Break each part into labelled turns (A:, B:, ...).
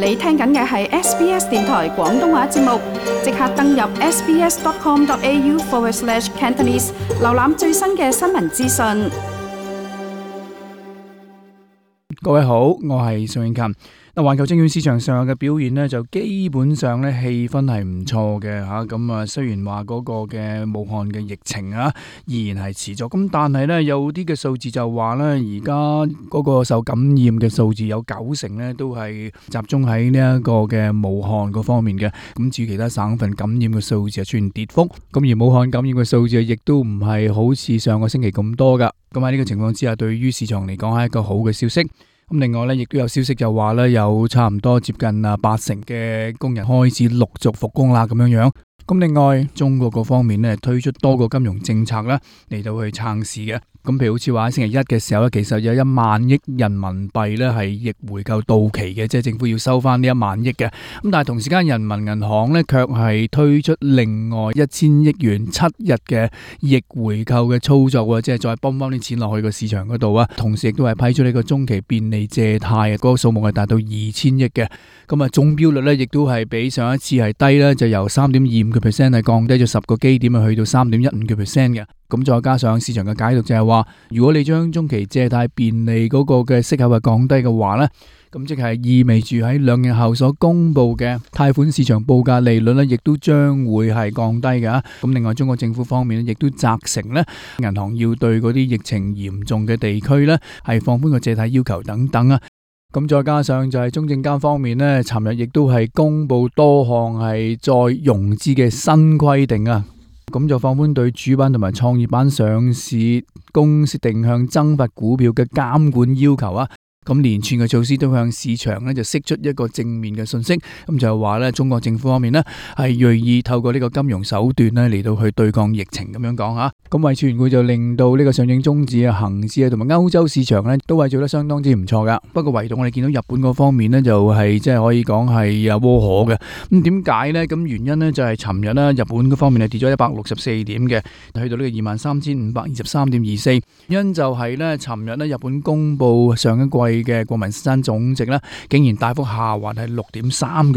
A: 你聽緊嘅係 SBS 電台廣東話節目，即刻登入 sbs.com.au/Cantonese， 瀏覽最新嘅新聞資訊。
B: 各位好，我係宋永琴。環球證券市場上嘅表現呢，就基本上呢氣氛係唔錯嘅吓。咁雖然話嗰個嘅武漢嘅疫情依然係持續，咁但係呢，有啲嘅數字就話呢，而家嗰個受感染嘅數字有90%呢都係集中喺呢一個嘅武漢嗰方面嘅。咁至於其他省份感染嘅數字係出現跌幅，咁而武漢感染嘅數字亦都唔係好似上個星期咁多噶。咁喺呢個情況之下，對於市場嚟講係一個好嘅消息。咁另外咧，亦都有消息就話咧，有差唔多接近80%嘅工人開始陸續復工啦，咁樣樣。咁另外，中國嗰方面咧推出多個金融政策啦，嚟到去撐市嘅。咁譬如好似話喺星期一嘅時候咧，其實有1萬億人民幣咧係逆回購到期嘅，即係政府要收翻呢1萬億嘅。咁但係同時間人民銀行咧卻係推出另外1000億元7日嘅逆回購嘅操作，即係再泵翻啲錢落去個市場嗰度啊。同時亦都係批出呢個中期便利借貸，嗰個數目係達到2000億嘅。咁中標率咧亦都係比上一次係低啦，就由3.25% 係降低咗10個基點去到3.15% 嘅。咁再加上市場嘅解讀就係話，如果你將中期借貸便利嗰個嘅息口係降低嘅話呢，咁即係意味住喺2日後所公布嘅貸款市場報價利率呢，亦都將會係降低嘅。咁另外，中國政府方面亦都責成呢銀行要對嗰啲疫情嚴重嘅地區呢係放寬個借貸要求等等啊。咁再加上就係中證監方面呢，尋日亦都係公布多項係再融資嘅新規定啊。咁就放寬對主板同埋創業板上市公司定向增發股票嘅監管要求啊。咁連串嘅措施都向市場咧就釋出一個正面嘅信息，咁就係話咧中國政府方面咧係銳意透過呢個金融手段咧嚟到去對抗疫情咁樣講吓。咁為傳會就令到呢個上證綜指啊、恒指啊同埋歐洲市場咧都係做得相當之唔錯噶。不過唯獨我哋見到日本嗰方面咧就係即係可以講係窩火嘅。咁點解呢？咁原因呢就係尋日咧日本嗰方面係跌咗164點嘅，去到呢個23,523.24。因就係咧尋日咧日本公布上一季嘅國民生產總值咧，竟然大幅下滑係6.3%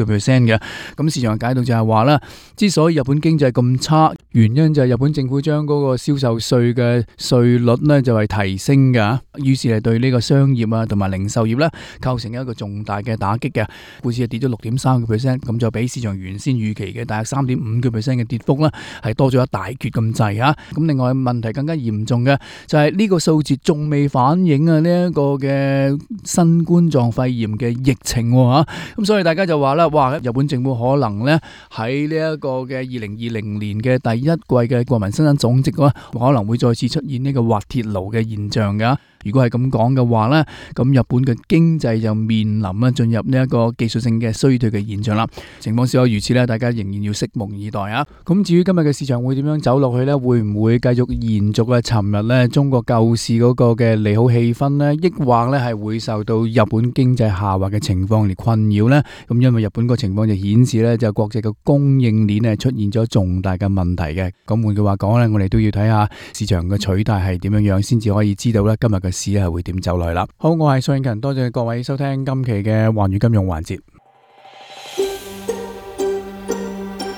B: 嘅。咁市場嘅解讀就係話咧，之所以日本經濟咁差，原因就係日本政府將嗰個銷售稅嘅稅率咧就係提升嘅，於是係對呢個商業啊同埋零售業咧構成一個重大嘅打擊嘅。股市係跌咗6.3%，咁就比市場原先預期嘅大約3.5% 嘅跌幅啦，係多咗一大橛咁滯吓。咁另外問題更加嚴重嘅就係呢個數字仲未反映啊呢一個嘅新冠狀肺炎嘅疫情吓。咁所以大家就話啦，哇！日本政府可能咧喺呢一個嘅2020年嘅第一季嘅國民生產總值可能會再次出現呢個滑鐵盧嘅現象噶。如果係咁講嘅話呢，咁日本嘅經濟就面臨進入呢一個技術性嘅衰退嘅現象啦。情況是否如此呢？大家仍然要拭目以待啊！咁至於今日嘅市場會點樣走落去呢？會唔會繼續延續啊？尋日呢中國救市嗰個嘅利好氣氛呢，抑或呢係會受到日本經濟下滑嘅情況嚟困擾呢？咁因為日本個情況就顯示呢，就國際嘅供應鏈係出現咗重大嘅問題嘅。咁換句話講呢，我哋都要睇下市場嘅取態係點樣樣，先至可以知道呢今日嘅市係會點走來啦。好，我係宋永勤，多謝各位收聽今期嘅寰宇金融環節。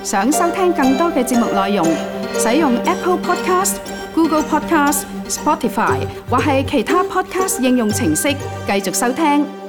A: 想收聽更多嘅節目內容，使用 Apple Podcast、Google Podcast、Spotify 或係其他 Podcast 應用程式繼續收聽。